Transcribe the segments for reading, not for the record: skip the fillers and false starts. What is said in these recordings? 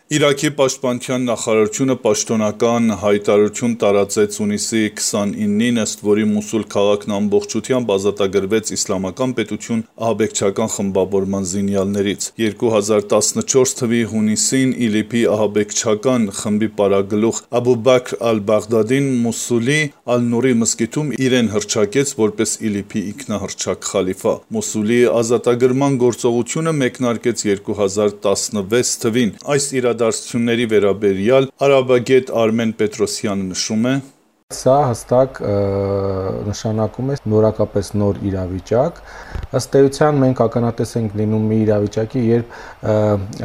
Իրաքի պաշտպանության նախարարությունը պաշտոնական հայտարարություն տարածեց հունիսի 29-ին, ըստ որի Մոսուլ քաղաքն ամբողջությամբ ազատագրվեց իսլամական պետություն ահաբեկչական խմբավորման զինյալներից։ 2014 թվականի հունիսին ԻԼԻՊ-ի ահաբեկչական խմբի պարագլուխ Աբու Բաքր ալ-Բաղդադին Մոսուլի Ալ-Նուրի մզկիթում իրեն հռչակեց որպես ԻԼԻՊ-ի ինքնահռչակ խալիֆա։ Մոսուլի ազատագրման գործողությունը մեկնարկեց 2016 թվականին։ Այս իրադարձությունների վերաբերյալ արաբագետ Արմեն Պետրոսյանը նշում է. Սա հստակ նշանակում է նորակապես նոր իրավիճակ։ Ըստ էության մենք ականատես ենք լինում մի իրավիճակի, երբ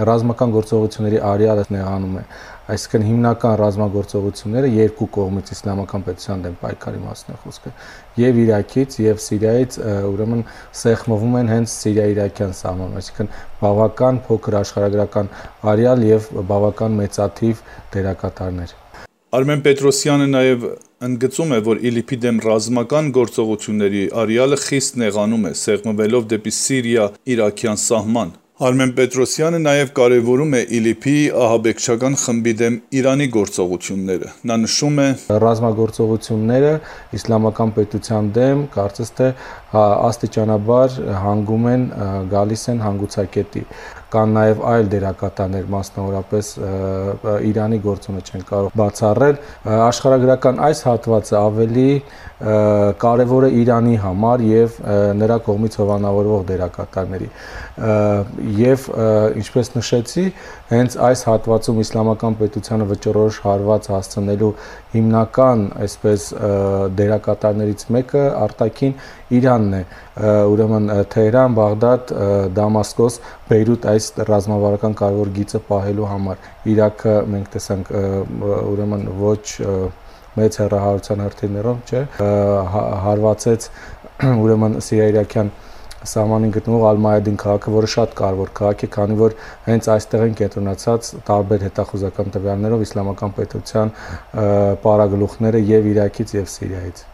ռազմական գործողությունների արյալը նեղանում է։ Այսինքն հիմնական ռազմագործողությունները երկու կողմից իսլամական պետության դեմ պայքարի մասն է խոսքը։ Եվ Իրաքից, եւ Սիրիայից ուրեմն սեղմվում են հենց Սիրիա-իրաքյան սահմանում, այսինքն բավական փոքր աշխարհագրական արյալ եւ բավական մեծաթիվ դերակատարներ։ Արմեն Պետրոսյանը նաև ընդգծում է, որ ԻԼԻՊ-ի դեմ ռազմական գործողությունների արյալը խիստ նեղանում է, սեղմվելով դեպի Սիրիա-իրաքյան սահման։ Արմեն Պետրոսյանը նաև կարևորում է ԻԼԻՊ-ի ահաբեկչական խմբի դեմ Իրանի գործողությունները։ Նա նշում է. Ռազմագործողությունները իսլամական պետության դեմ կարծես թե աստիճանաբար հանգում են, գալիս են հանգուցակետի։ Կան նաև այլ դերակատարներ, մասնավորապես Իրանի գործոնը չեն կարող բացառել։ Աշխարհագրական այս հատվածը ավելի կարևոր է Իրանի համար եւ նրա կողմից հովանավորվող դերակատարների։ Եվ ինչպես նշեցի, հենց այս հատվածում իսլամական պետությանը վճռորոշ հարված հասցնելու հիմնական, այսպես դերակատարներից մեկը արտաքին Իրանն է։ Ուրեմն Թեհրան, Բաղդադ, Դամասկոս, Բեյրութ այս ռազմավարական կարևոր գիծը պահելու համար։ Իրաքը մենք տեսանք ուրեմն ոչ մեծ հեռահարության հրթիռներով, չէ, հարվածեց ուրեմն Սիրիա-իրաքյան սահմանին գտնվող Ալ-Մայադին քաղաքը, որը շատ կարևոր քաղաք է, քանի որ հենց այստեղ են կենտրոնացած տարբեր հետախուզական տվյալներով իսլամական պետության պարագլուխները եւ Իրաքից եւ Սիրիայից։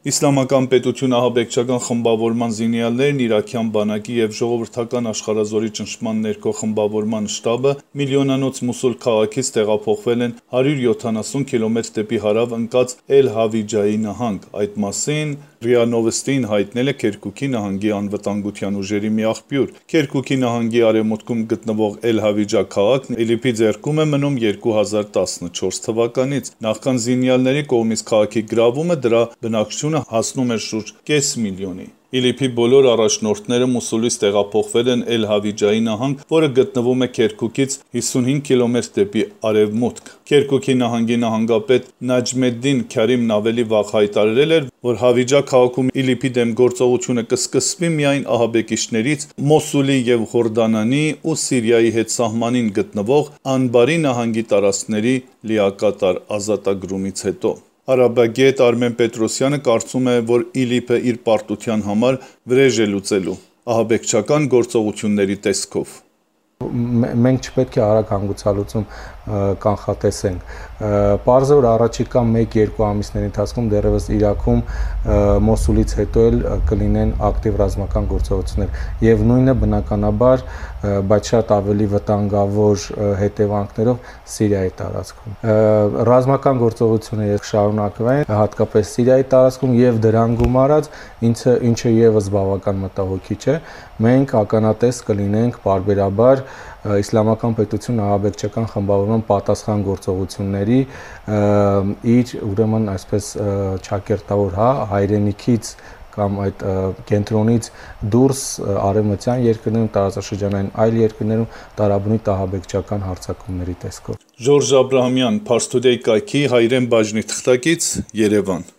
Իսլամական պետություն ահաբեկչական խմբավորման զինյալներն իրաքյան բանակի եւ ժողովրդական աշխարհազորի ճնշման ներքո խմբավորման շտաբը միլիոնանոց Մոսուլ քաղաքից տեղափոխվել են 170 կիլոմետր դեպի հարավ ընկած Էլ-Հավիջայի նահանգ։ Այդ մասին ՌԻԱ Նովոստին հայտնել է Քերկուկի նահանգի անվտանգության ուժերի մի աղբյուր։ Քերկուկի նահանգի արևմուտքում գտնվող Էլ-Հավիջա քաղաքն ԻԼԻՊ-ի ձեռքում է մնում 2014 թվականից։ Նախքան զինյալների կողմից քաղաքի գրավումը դրա բնակչությունը հասնում էր շուրջ կես միլիոնի։ ԻԼԻՊ-ի բոլոր առաջնորդները Մոսուլից տեղափոխվել են Էլ-Հավիջայի նահանգ, որը գտնվում է Քերկուկից 55 կիլոմետր դեպի արևմուտք։ Քերկուկի նահանգի նահանգապետ Նաջմեդդին Քարիմն ավելի վաղ հայտարարել էր, որ Հավիջա քաղաքում ԻԼԻՊ-ի դեմ գործողությունը կսկսվի միայն ահաբեկիչներից Մոսուլի եւ Հորդանանի ու Սիրիայի հետ սահմանին գտնվող Անբարի նահանգի տարածքների լիակատար ազատագրումից հետո։ Արաբագետ Արմեն Պետրոսյանը կարծում է, որ ԻԼԻՊ-ը իր պարտության համար վրեժ է լուծելու ահաբեկչական գործողությունների տեսքով։ Մենք չպետք է արագ հանգուցալուծում կանխատեսենք։ Պարզ է, որ առաջիկա 1-2 ամիսների ընթացքում դեռևս Իրաքում Մոսուլից հետո էլ կլինեն ակտիվ ռազմական գործողություններ եւ նույնը բնականաբար, բայց շատ ավելի վտանգավոր հետևանքներով Սիրիայի տարածքում։ Ռազմական գործողությունները շարունակվեն, հատկապես Սիրիայի տարածքում եւ դրան գումարած, ինչը եւս բավական մտահոգիչ է։ Մենք ականատես կլինենք պարբերաբար իսլամական պետություն ահաբեկչական խմբավորման պատասխան գործողությունների իր ուրեմն այսպես ճակերտավոր հայրենիքից կամ այդ կենտրոնից դուրս արևմտյան երկրներում, տարածաշրջանային այլ երկրներում տարաբնույթ ահաբեկչական հարձակումների տեսքով։ Ժորժ Աբրահամյան, Փարս Թուդեյ կայքի հայրեն բաժնի թղթակից, Երևան։